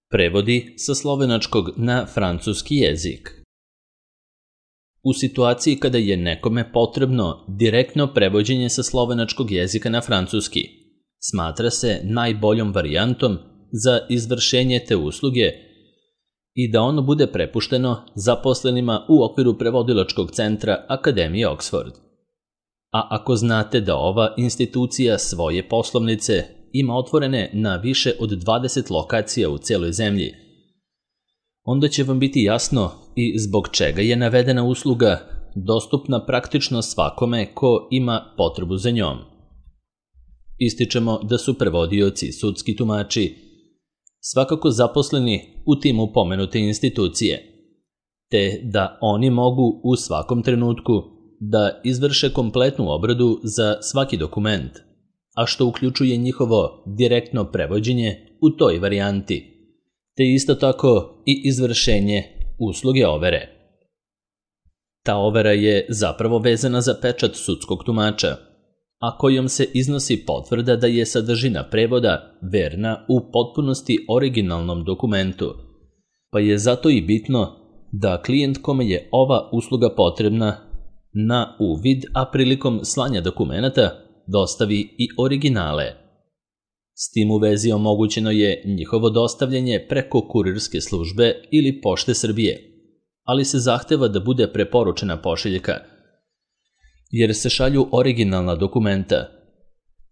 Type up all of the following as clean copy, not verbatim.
Prevodi sa slovenačkog na francuski jezik. U situaciji kada je nekome potrebno direktno prevođenje sa slovenačkog jezika na francuski, smatra se najboljom varijantom za izvršenje te usluge i da ono bude prepušteno zaposlenima u okviru prevodilačkog centra Akademije Oxford. A ako znate da ova institucija svoje poslovnice ima otvorene na više od 20 lokacija u cijeloj zemlji, onda će vam biti jasno i zbog čega je navedena usluga dostupna praktično svakome ko ima potrebu za njom. Ističemo da su prevodioci i sudski tumači svakako zaposleni u timu pomenute institucije, te da oni mogu u svakom trenutku da izvrše kompletnu obradu za svaki dokument, a što uključuje njihovo direktno prevođenje u toj varijanti, te isto tako i izvršenje usluge overe. Ta overa je zapravo vezana za pečat sudskog tumača, a kojom se iznosi potvrda da je sadržina prevoda verna u potpunosti originalnom dokumentu, pa je zato i bitno da klijent kome je ova usluga potrebna na uvid, a prilikom slanja dokumenata dostavi i originale. S tim u vezi omogućeno je njihovo dostavljanje preko kurirske službe ili Pošte Srbije, ali se zahteva da bude preporučena pošiljka, jer se šalju originalna dokumenta,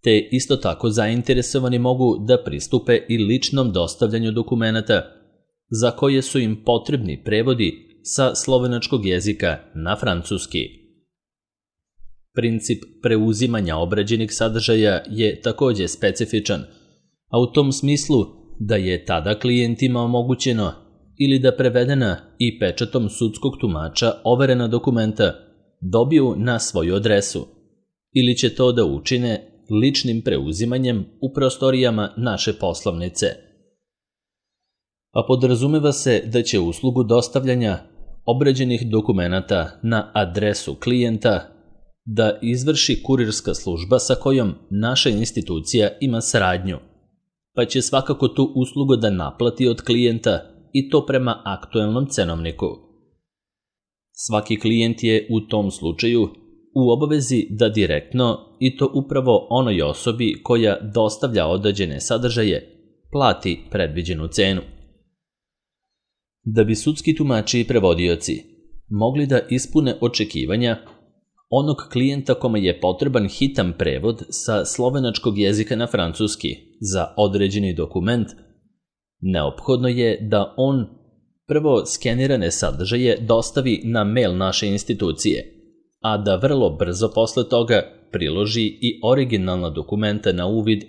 te isto tako zainteresovani mogu da pristupe i ličnom dostavljanju dokumenata za koje su im potrebni prevodi sa slovenačkog jezika na francuski. Princip preuzimanja obrađenih sadržaja je takođe specifičan, a u tom smislu da je tada klijentima omogućeno ili da prevedena i pečatom sudskog tumača overena dokumenta dobiju na svoju adresu, ili će to da učine ličnim preuzimanjem u prostorijama naše poslovnice. A podrazumeva se da će uslugu dostavljanja obrađenih dokumenata na adresu klijenta da izvrši kurirska služba sa kojom naša institucija ima saradnju, pa će svakako tu uslugu da naplati od klijenta i to prema aktuelnom cenovniku. Svaki klijent je u tom slučaju u obavezi da direktno, i to upravo onoj osobi koja dostavlja određene sadržaje, plati predviđenu cenu. Da bi sudski tumači i prevodioci mogli da ispune očekivanja onog klijenta kome je potreban hitan prevod sa slovenačkog jezika na francuski za određeni dokument, neophodno je da on prvo skenirane sadržaje dostavi na mail naše institucije, a da vrlo brzo posle toga priloži i originalna dokumenta na uvid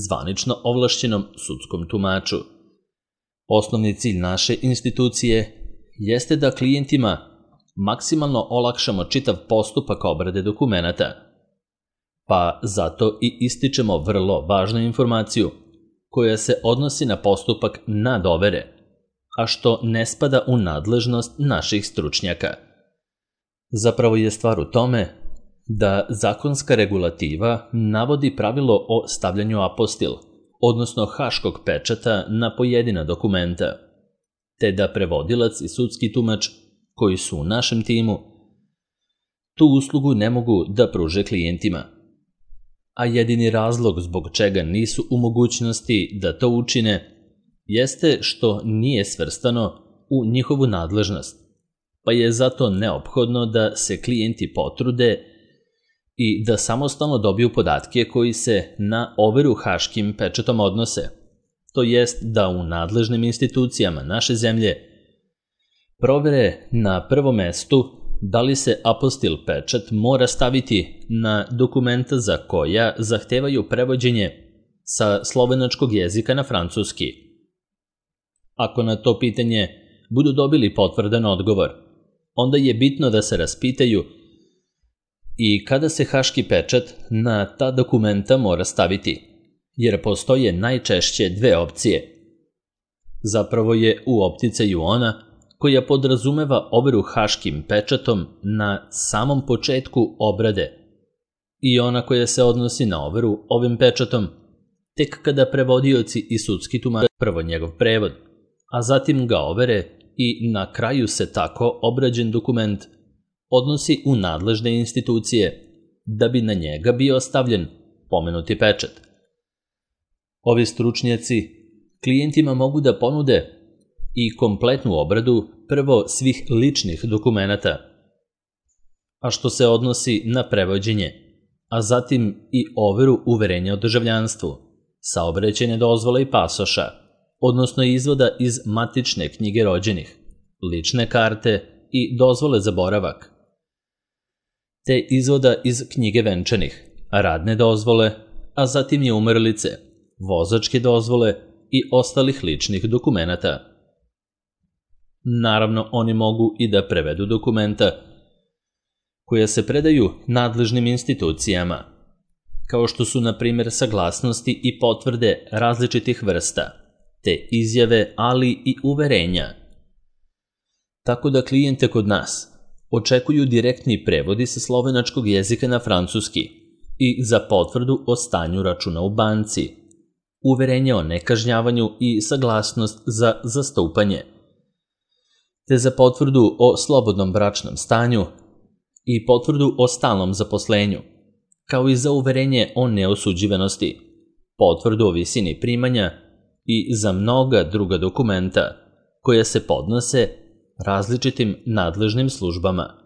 zvanično ovlašćenom sudskom tumaču. Osnovni cilj naše institucije jeste da klijentima maksimalno olakšamo čitav postupak obrade dokumenata, pa zato i ističemo vrlo važnu informaciju koja se odnosi na postupak nadovere, a što ne spada u nadležnost naših stručnjaka. Zapravo je stvar u tome da zakonska regulativa navodi pravilo o stavljanju apostil, odnosno haškog pečata na pojedina dokumenta, te da prevodilac i sudski tumač koji su u našem timu tu uslugu ne mogu da pruže klijentima. A jedini razlog zbog čega nisu u mogućnosti da to učine jeste što nije svrstano u njihovu nadležnost, pa je zato neophodno da se klijenti potrude i da samostalno dobiju podatke koji se na overu haškim pečatom odnose, to jest da u nadležnim institucijama naše zemlje provere na prvom mestu da li se apostil pečat mora staviti na dokumenta za koja zahtevaju prevođenje sa slovenačkog jezika na francuski. Ako na to pitanje budu dobili potvrdan odgovor, onda je bitno da se raspitaju i kada se haški pečat na ta dokumenta mora staviti, jer postoje najčešće dve opcije. Zapravo je u opticaju ona koja podrazumeva overu haškim pečatom na samom početku obrade i ona koja se odnosi na overu ovim pečatom tek kada prevodioci i sudski tumač prvo njegov prevod, a zatim ga overe i na kraju se tako obrađen dokument odnosi u nadležne institucije da bi na njega bio stavljen pomenuti pečat. Ovi stručnjaci klijentima mogu da ponude i kompletnu obradu prvo svih ličnih dokumenata, a što se odnosi na prevođenje, a zatim i overu uverenja o državljanstvu, saobraćajne dozvole i pasoša, odnosno izvoda iz matične knjige rođenih, lične karte i dozvole za boravak, te izvoda iz knjige venčanih, radne dozvole, a zatim i umrlice, vozačke dozvole i ostalih ličnih dokumenata. Naravno, oni mogu i da prevedu dokumenta koja se predaju nadležnim institucijama, kao što su, na primjer, saglasnosti i potvrde različitih vrsta, te izjave, ali i uverenja. Tako da klijente kod nas očekuju direktni prevodi sa slovenačkog jezika na francuski i za potvrdu o stanju računa u banci, uverenje o nekažnjavanju i saglasnost za zastupanje, te za potvrdu o slobodnom bračnom stanju i potvrdu o stalnom zaposlenju, kao i za uverenje o neosuđivanosti, potvrdu o visini primanja i za mnoga druga dokumenta koja se podnose različitim nadležnim službama.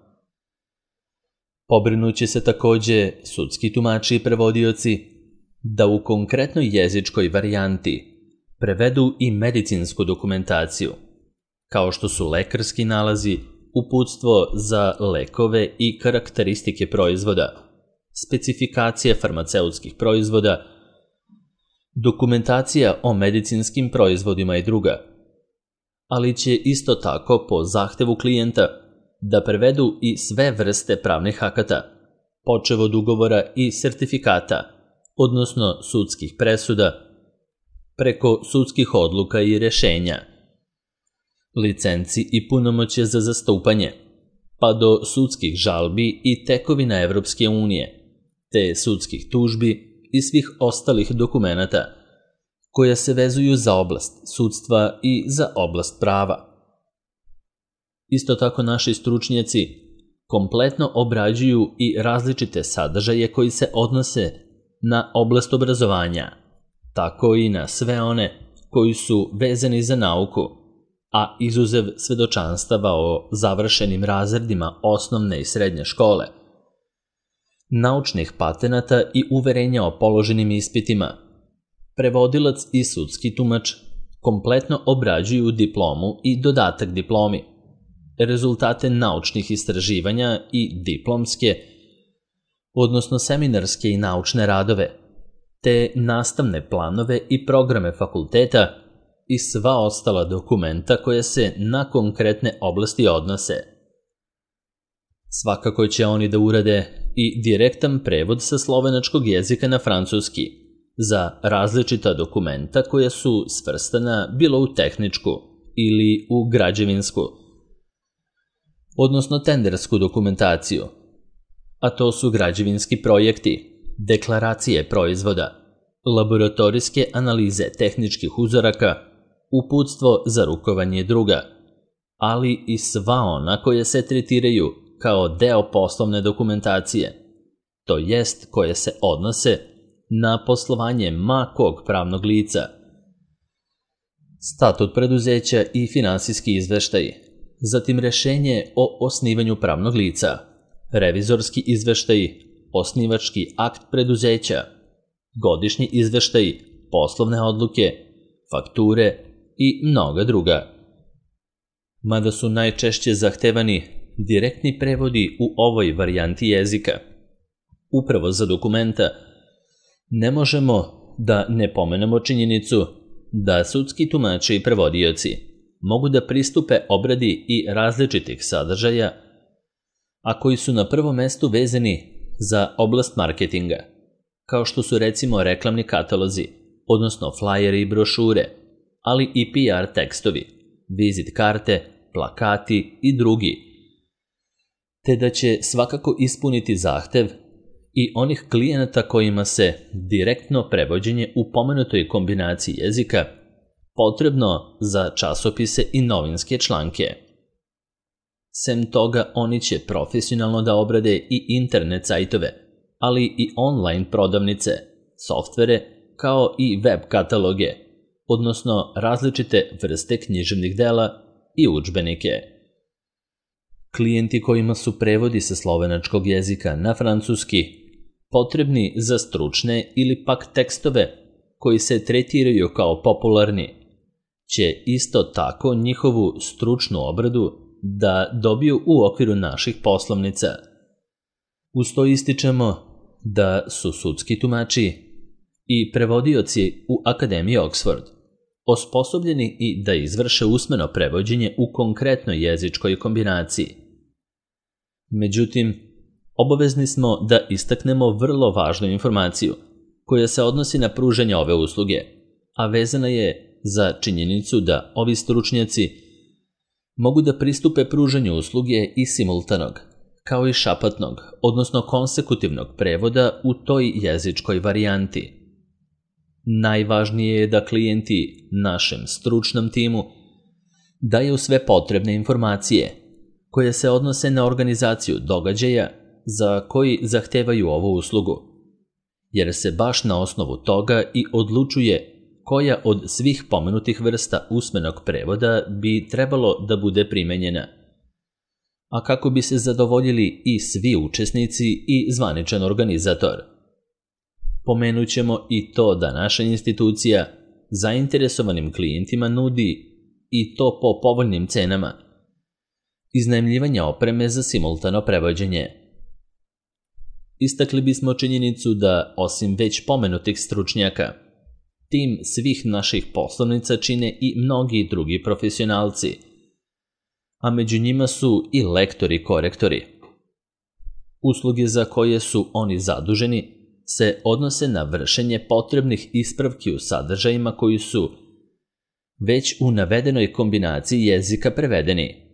Pobrinuće se takođe sudski tumači i prevodioci da u konkretnoj jezičkoj varijanti prevedu i medicinsku dokumentaciju, kao što su lekarski nalazi, uputstvo za lekove i karakteristike proizvoda, specifikacije farmaceutskih proizvoda, dokumentacija o medicinskim proizvodima i druga, ali će isto tako po zahtevu klijenta da prevedu i sve vrste pravnih akata, počev od ugovora i sertifikata, odnosno sudskih presuda, preko sudskih odluka i rešenja, licenci i punomoćje za zastupanje, pa do sudskih žalbi i tekovina Evropske unije, te sudskih tužbi i svih ostalih dokumenata koja se vezuju za oblast sudstva i za oblast prava. Isto tako naši stručnjaci kompletno obrađuju i različite sadržaje koji se odnose na oblast obrazovanja, tako i na sve one koji su vezani za nauku, a izuzev svedočanstava o završenim razredima osnovne i srednje škole, naučnih patenata i uverenja o položenim ispitima, prevodilac i sudski tumač kompletno obrađuju diplomu i dodatak diplomi, rezultate naučnih istraživanja i diplomske, odnosno seminarske i naučne radove, te nastavne planove i programe fakulteta i sva ostala dokumenta koje se na konkretne oblasti odnose. Svakako će oni da urade i direktan prevod sa slovenačkog jezika na francuski za različita dokumenta koja su svrstana bilo u tehničku ili u građevinsku, odnosno tendersku dokumentaciju, a to su građevinski projekti, deklaracije proizvoda, laboratorijske analize tehničkih uzoraka, uputstvo za rukovanje druga, ali i sva ona koje se tretiraju kao deo poslovne dokumentacije, to jest koje se odnose na poslovanje ma kog pravnog lica, statut preduzeća i finansijski izveštaj, zatim rešenje o osnivanju pravnog lica, revizorski izveštaj, osnivački akt preduzeća, godišnji izveštaj, poslovne odluke, fakture i mnoga druga. Mada su najčešće zahtevani direktni prevodi u ovoj varijanti jezika, upravo za dokumenta, ne možemo da ne pomenemo činjenicu da sudski tumači i prevodioci mogu da pristupe obradi i različitih sadržaja, a koji su na prvom mestu vezani za oblast marketinga, kao što su recimo reklamni katalozi, odnosno flajeri i brošure, ali i PR tekstovi, vizit karte, plakati i drugi, te da će svakako ispuniti zahtev i onih klijenata kojima se direktno prevođenje u pomenutoj kombinaciji jezika potrebno za časopise i novinske članke. Sem toga, oni će profesionalno da obrade i internet sajtove, ali i online prodavnice, softvere, kao i web kataloge, odnosno različite vrste književnih dela i udžbenike. Klijenti kojima su prevodi sa slovenačkog jezika na francuski potrebni za stručne ili pak tekstove koji se tretiraju kao popularni, će isto tako njihovu stručnu obradu da dobiju u okviru naših poslovnica. Uz to ističemo da su sudski tumači i prevodioci u Akademiji Oxford osposobljeni i da izvrše usmeno prevođenje u konkretnoj jezičkoj kombinaciji. Međutim, obavezni smo da istaknemo vrlo važnu informaciju koja se odnosi na pružanje ove usluge, a vezana je za činjenicu da ovi stručnjaci mogu da pristupe pružanju usluge i simultanog, kao i šapatnog, odnosno konsekutivnog prevoda u toj jezičkoj varijanti. Najvažnije je da klijenti našem stručnom timu daju sve potrebne informacije koje se odnose na organizaciju događaja za koji zahtevaju ovu uslugu, jer se baš na osnovu toga i odlučuje koja od svih pomenutih vrsta usmenog prevoda bi trebalo da bude primenjena. A kako bi se zadovoljili i svi učesnici i zvaničan organizator. Pomenut ćemo i to da naša institucija zainteresovanim klijentima nudi, i to po povoljnim cenama, iznajmljivanje opreme za simultano prevođenje. Istakli bismo činjenicu da, osim već pomenutih stručnjaka, tim svih naših poslovnica čine i mnogi drugi profesionalci, a među njima su i lektori korektori. Usluge za koje su oni zaduženi se odnose na vršenje potrebnih ispravki u sadržajima koji su već u navedenoj kombinaciji jezika prevedeni.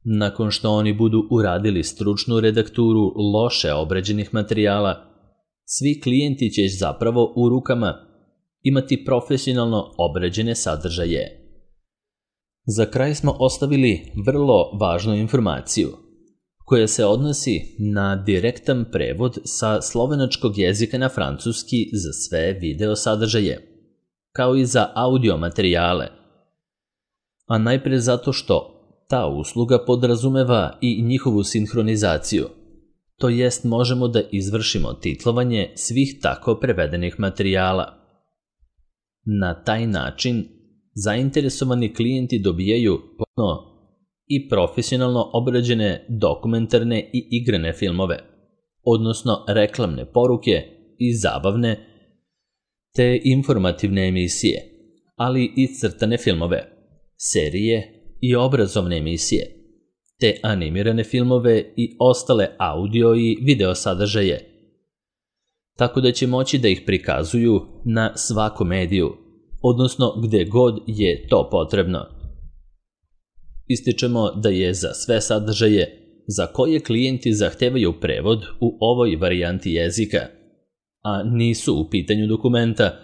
Nakon što oni budu uradili stručnu redakturu loše obrađenih materijala, svi klijenti će zapravo u rukama imati profesionalno obrađene sadržaje. Za kraj smo ostavili vrlo važnu informaciju koja se odnosi na direktan prevod sa slovenačkog jezika na francuski za sve video sadržaje, kao i za audio materijale, a najpre zato što ta usluga podrazumeva i njihovu sinhronizaciju, to jest možemo da izvršimo titlovanje svih tako prevedenih materijala. Na taj način zainteresovani klijenti dobijaju potpuno i profesionalno obrađene dokumentarne i igrane filmove, odnosno reklamne poruke i zabavne te informativne emisije, ali i crtane filmove, serije i obrazovne emisije, te animirane filmove i ostale audio i video sadržaje, tako da će moći da ih prikazuju na svakom mediju, odnosno gde god je to potrebno. Ističemo da je za sve sadržaje za koje klijenti zahtevaju prevod u ovoj varijanti jezika, a nisu u pitanju dokumenta,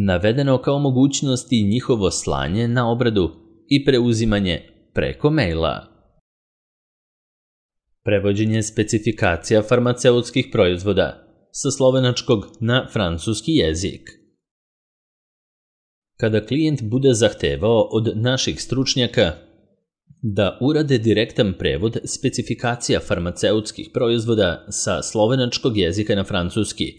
navedeno kao mogućnost i njihovo slanje na obradu i preuzimanje preko maila. Prevođenje specifikacija farmaceutskih proizvoda sa slovenačkog na francuski jezik. Kada klijent bude zahtevao od naših stručnjaka da urade direktan prevod specifikacija farmaceutskih proizvoda sa slovenačkog jezika na francuski,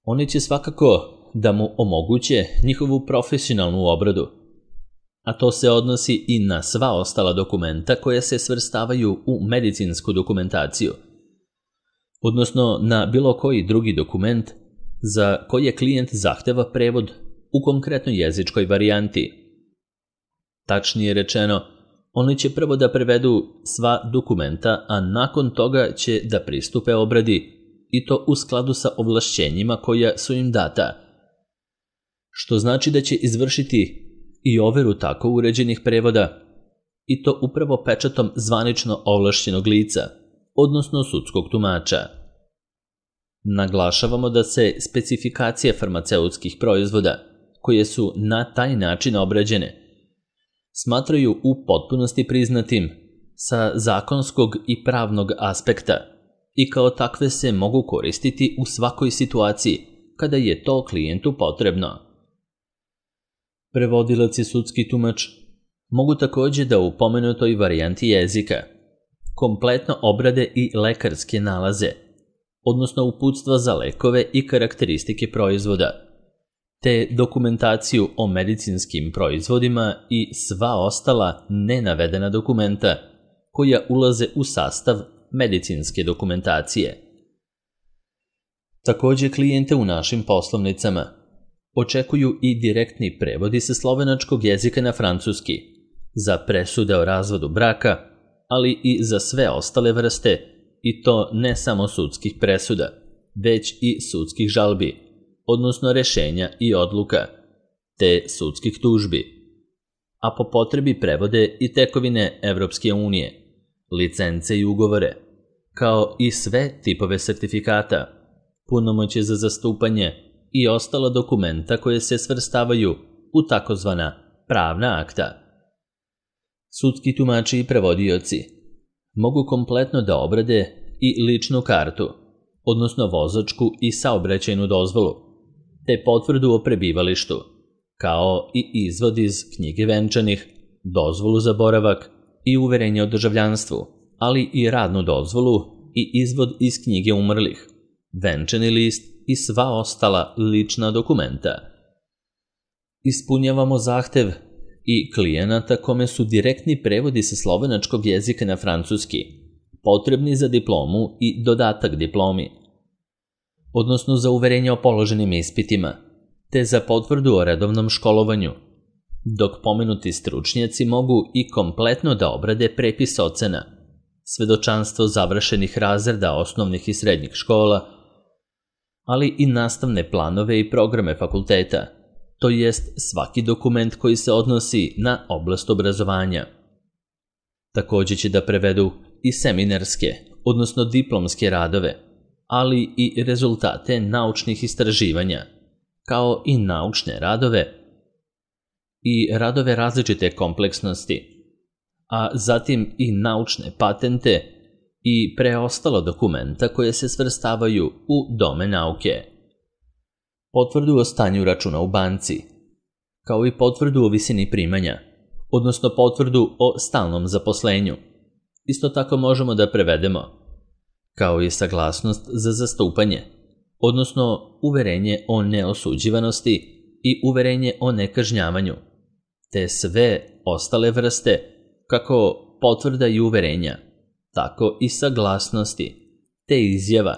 oni će svakako da mu omoguće njihovu profesionalnu obradu, a to se odnosi i na sva ostala dokumenta koja se svrstavaju u medicinsku dokumentaciju, odnosno na bilo koji drugi dokument za koji klijent zahteva prevod u konkretnoj jezičkoj varijanti. Tačnije rečeno, oni će prvo da prevedu sva dokumenta, a nakon toga će da pristupe obradi i to u skladu sa ovlašćenjima koja su im data, što znači da će izvršiti i overu tako uređenih prevoda, i to upravo pečatom zvanično ovlašćenog lica, odnosno sudskog tumača. Naglašavamo da se specifikacije farmaceutskih proizvoda koje su na taj način obrađene smatraju u potpunosti priznatim sa zakonskog i pravnog aspekta i kao takve se mogu koristiti u svakoj situaciji kada je to klijentu potrebno. Prevodilac i sudski tumač mogu također da u pomenutoj varijanti jezika kompletno obrade i lekarske nalaze, odnosno uputstva za lekove i karakteristike proizvoda, te dokumentaciju o medicinskim proizvodima i sva ostala nenavedena dokumenta koja ulaze u sastav medicinske dokumentacije. Također klijente u našim poslovnicama očekuju i direktni prevodi sa slovenačkog jezika na francuski za presude o razvodu braka, ali i za sve ostale vrste, i to ne samo sudskih presuda, već i sudskih žalbi, odnosno rešenja i odluka, te sudskih tužbi, a po potrebi prevode i tekovine Evropske unije, licence i ugovore, kao i sve tipove sertifikata, punomoćje za zastupanje i ostala dokumenta koje se svrstavaju u takozvana pravna akta. Sudski tumači i prevodioci mogu kompletno da obrade i ličnu kartu, odnosno vozačku i saobraćajnu dozvolu, te potvrdu o prebivalištu, kao i izvod iz knjige venčanih, dozvolu za boravak i uverenje o državljanstvu, ali i radnu dozvolu i izvod iz knjige umrlih, venčani list i sva ostala lična dokumenta. Ispunjavamo zahtev i klijenata kome su direktni prevodi sa slovenačkog jezika na francuski, potrebni za diplomu i dodatak diplomi, odnosno za uverenje o položenim ispitima, te za potvrdu o redovnom školovanju, dok pomenuti stručnjaci mogu i kompletno da obrade prepis ocena, svedočanstvo završenih razreda osnovnih i srednjih škola, ali i nastavne planove i programe fakulteta, to jest svaki dokument koji se odnosi na oblast obrazovanja. Također će da prevedu i seminarske, odnosno diplomske radove, ali i rezultate naučnih istraživanja, kao i naučne radove i radove različite kompleksnosti, a zatim i naučne patente i preostalo dokumenta koje se svrstavaju u domen nauke. Potvrdu o stanju računa u banci, kao i potvrdu o visini primanja, odnosno potvrdu o stalnom zaposlenju. Isto tako možemo da prevedemo, kao i saglasnost za zastupanje, odnosno uverenje o neosuđivanosti i uverenje o nekažnjavanju, te sve ostale vrste, kako potvrda i uverenja, tako i saglasnosti, te izjava,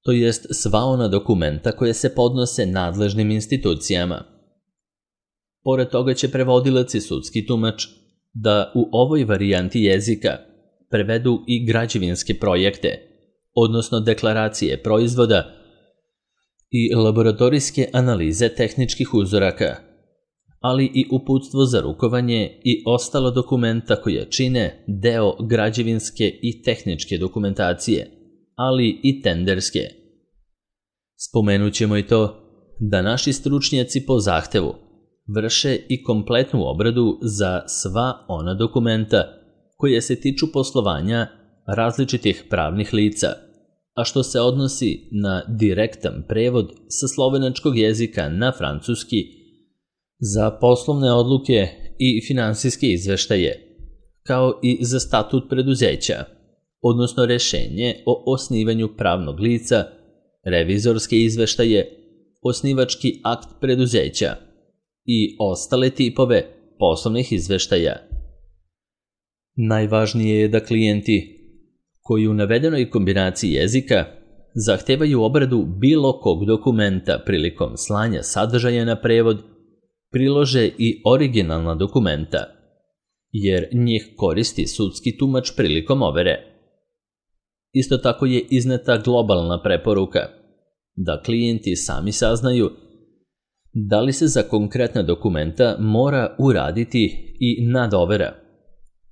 to jest sva ona dokumenta koje se podnose nadležnim institucijama. Pored toga će prevodilac i sudski tumač da u ovoj varijanti jezika prevedu i građevinske projekte, odnosno deklaracije proizvoda i laboratorijske analize tehničkih uzoraka, ali i uputstvo za rukovanje i ostalo dokumenta koje čine deo građevinske i tehničke dokumentacije, ali i tenderske. Spomenut ćemo i to da naši stručnjaci po zahtevu vrše i kompletnu obradu za sva ona dokumenta koje se tiču poslovanja različitih pravnih lica, a što se odnosi na direktan prevod sa slovenačkog jezika na francuski za poslovne odluke i finansijske izveštaje, kao i za statut preduzeća, odnosno rešenje o osnivanju pravnog lica, revizorske izveštaje, osnivački akt preduzeća i ostale tipove poslovnih izveštaja. Najvažnije je da klijenti koji u navedenoj kombinaciji jezika zahtevaju obradu bilo kog dokumenta prilikom slanja sadržaja na prevod, prilože i originalna dokumenta, jer njih koristi sudski tumač prilikom overe. Isto tako je izneta globalna preporuka da klijenti sami saznaju da li se za konkretna dokumenta mora uraditi i nadovera,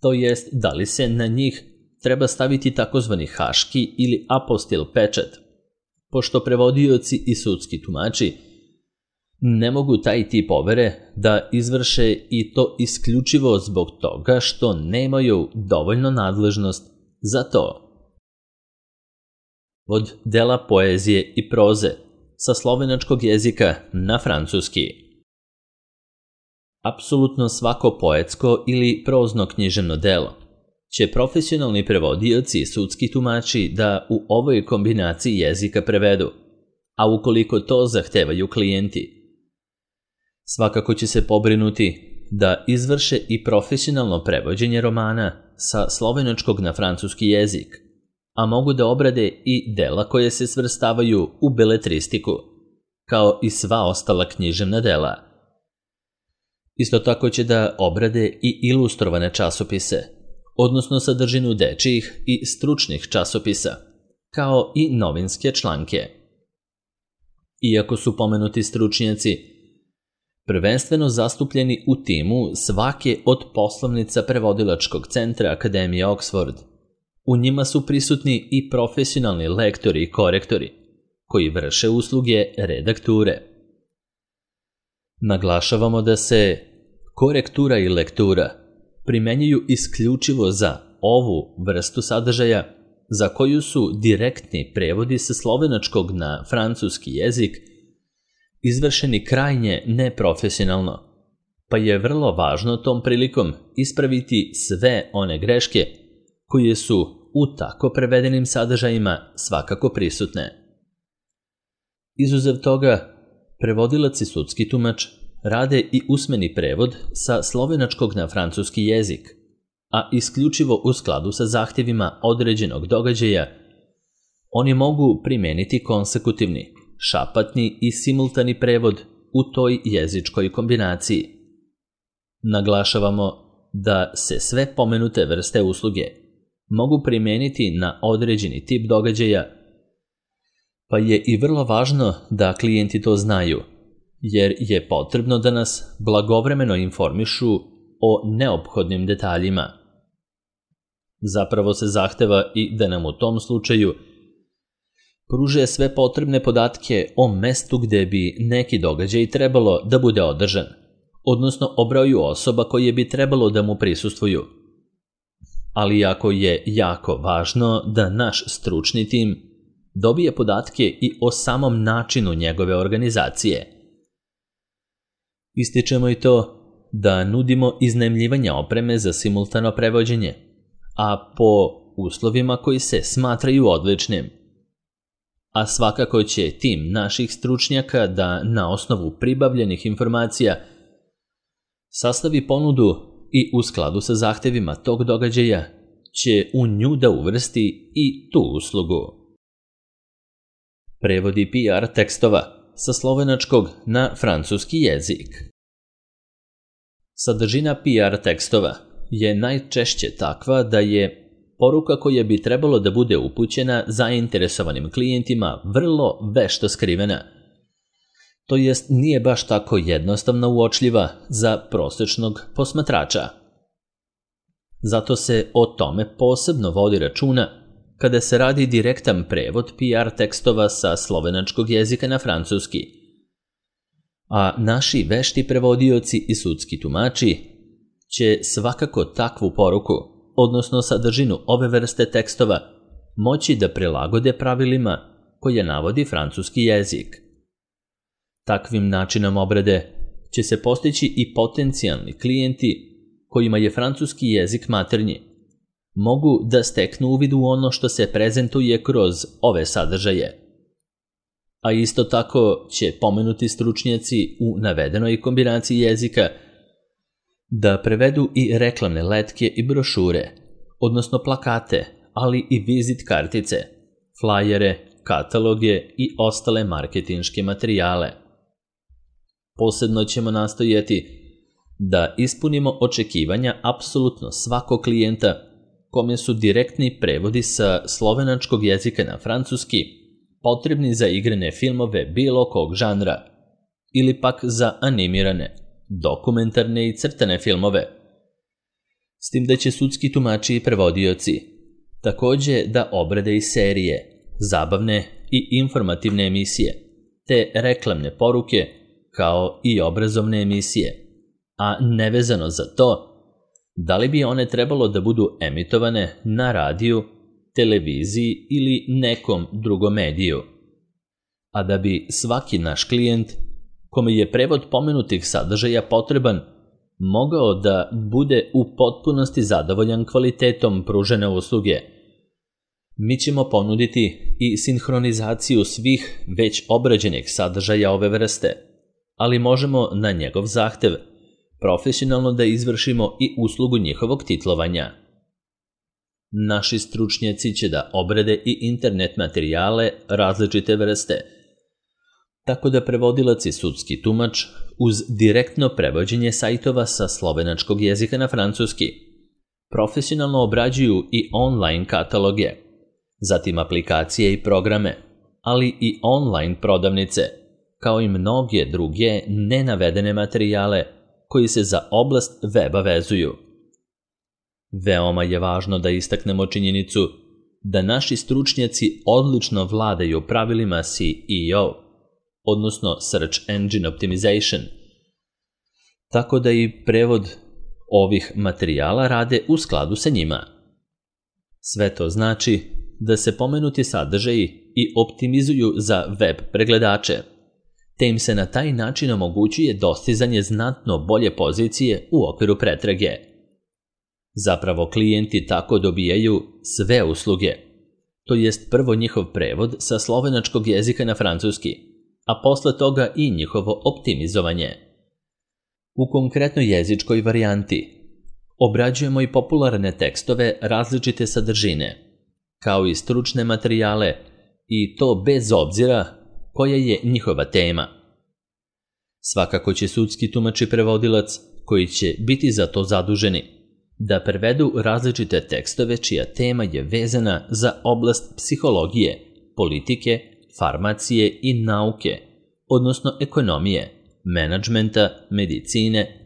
to jest da li se na njih treba staviti takozvani haški ili apostil pečat, pošto prevodioci i sudski tumači Ne mogu taj tip overe da izvrše i to isključivo zbog toga što nemaju dovoljno nadležnost za to. Od dela poezije i proze sa slovenačkog jezika na francuski. Apsolutno svako poetsko ili prozno književno delo će profesionalni prevodioci i sudski tumači da u ovoj kombinaciji jezika prevedu, a ukoliko to zahtevaju klijenti, svakako će se pobrinuti da izvrše i profesionalno prevođenje romana sa slovenačkog na francuski jezik, a mogu da obrade i dela koje se svrstavaju u beletristiku, kao i sva ostala književna dela. Isto tako će da obrade i ilustrovane časopise, odnosno sadržinu dečijih i stručnih časopisa, kao i novinske članke. Iako su pomenuti stručnjaci prvenstveno zastupljeni u timu svake od poslovnica prevodilačkog centra Akademije Oxford, u njima su prisutni i profesionalni lektori i korektori, koji vrše usluge redakture. Naglašavamo da se korektura i lektura primenjuju isključivo za ovu vrstu sadržaja za koju su direktni prevodi sa slovenačkog na francuski jezik izvršeni krajnje neprofesionalno, pa je vrlo važno tom prilikom ispraviti sve one greške koje su u tako prevedenim sadržajima svakako prisutne. Izuzev toga, prevodilac i sudski tumač rade i usmeni prevod sa slovenačkog na francuski jezik, a isključivo u skladu sa zahtjevima određenog događaja, oni mogu primeniti konsekutivni, šapatni i simultani prevod u toj jezičkoj kombinaciji. Naglašavamo da se sve pomenute vrste usluge mogu primeniti na određeni tip događaja, pa je i vrlo važno da klijenti to znaju, jer je potrebno da nas blagovremeno informišu o neophodnim detaljima. Zapravo se zahteva i da nam u tom slučaju pruže sve potrebne podatke o mestu gde bi neki događaj trebalo da bude održan, odnosno o broju osoba koje bi trebalo da mu prisustvuju. Ali jako je jako važno da naš stručni tim dobije podatke i o samom načinu njegove organizacije. Ističemo i to da nudimo iznajmljivanje opreme za simultano prevođenje, a po uslovima koji se smatraju odličnim. A svakako će tim naših stručnjaka da na osnovu pribavljenih informacija sastavi ponudu i u skladu sa zahtevima tog događaja će u nju da uvrsti i tu uslugu. Prevodi PR tekstova sa slovenačkog na francuski jezik. Sadržina PR tekstova je najčešće takva da je poruka koja bi trebalo da bude upućena zainteresovanim klijentima vrlo vešto skrivena. To jest nije baš tako jednostavno uočljiva za prosečnog posmatrača. Zato se o tome posebno vodi računa kada se radi direktan prevod PR tekstova sa slovenačkog jezika na francuski. A naši vešti prevodioci i sudski tumači će svakako takvu poruku, odnosno sadržinu ove vrste tekstova, moći da prilagode pravilima koje navodi francuski jezik. Takvim načinom obrade će se postići i potencijalni klijenti kojima je francuski jezik maternji, mogu da steknu uvid u ono što se prezentuje kroz ove sadržaje. A isto tako će pomenuti stručnjaci u navedenoj kombinaciji jezika da prevedu i reklamne letke i brošure, odnosno plakate, ali i vizit kartice, flajere, kataloge i ostale marketinške materijale. Posebno ćemo nastojati da ispunimo očekivanja apsolutno svakog klijenta kome su direktni prevodi sa slovenačkog jezika na francuski potrebni za igrane filmove bilo kog žanra ili pak za animirane, dokumentarne i crtane filmove. S tim da će sudski tumači i prevodioci takođe da obrade i serije, zabavne i informativne emisije, te reklamne poruke kao i obrazovne emisije, a nevezano za to, da li bi one trebalo da budu emitovane na radiju, televiziji ili nekom drugom mediju, a da bi svaki naš klijent, kome je prevod pomenutih sadržaja potreban, mogao da bude u potpunosti zadovoljan kvalitetom pružene usluge. Mi ćemo ponuditi i sinhronizaciju svih već obrađenih sadržaja ove vrste, ali možemo na njegov zahtev profesionalno da izvršimo i uslugu njihovog titlovanja. Naši stručnjaci će da obrade i internet materijale različite vrste, tako da prevodilac i sudski tumač uz direktno prevođenje sajtova sa slovenačkog jezika na francuski profesionalno obrađuju i online kataloge, zatim aplikacije i programe, ali i online prodavnice, kao i mnoge druge nenavedene materijale koji se za oblast weba vezuju. Veoma je važno da istaknemo činjenicu da naši stručnjaci odlično vladaju pravilima SEO, odnosno Search Engine Optimization, tako da i prevod ovih materijala rade u skladu sa njima. Sve to znači da se pomenuti sadržaji i optimizuju za web pregledače, te im se na taj način omogućuje dostizanje znatno bolje pozicije u okviru pretrage. Zapravo klijenti tako dobijaju sve usluge, to jest prvo njihov prevod sa slovenačkog jezika na francuski, a posle toga i njihovo optimizovanje. U konkretnoj jezičkoj varijanti obrađujemo i popularne tekstove različite sadržine, kao i stručne materijale, i to bez obzira koja je njihova tema. Svakako će sudski tumač i prevodilac, koji će biti za to zaduženi, da prevedu različite tekstove čija tema je vezana za oblast psihologije, politike, farmacije i nauke, odnosno ekonomije, menadžmenta, medicine,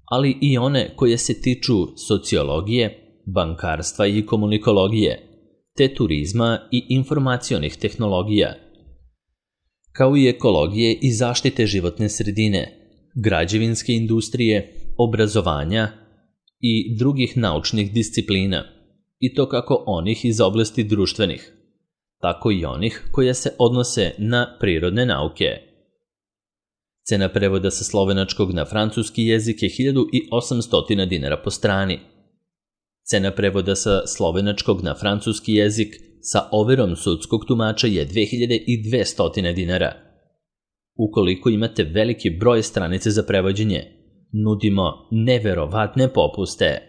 ali i one koje se tiču sociologije, bankarstva i komunikologije, te turizma i informacionih tehnologija, kao i ekologije i zaštite životne sredine, građevinske industrije, obrazovanja i drugih naučnih disciplina, i to kako onih iz oblasti društvenih, tako i onih koje se odnose na prirodne nauke. Cena prevoda sa slovenačkog na francuski jezik je 1800 dinara po strani. Cena prevoda sa slovenačkog na francuski jezik sa overom sudskog tumača je 2200 dinara. Ukoliko imate veliki broj stranice za prevođenje, nudimo neverovatne popuste.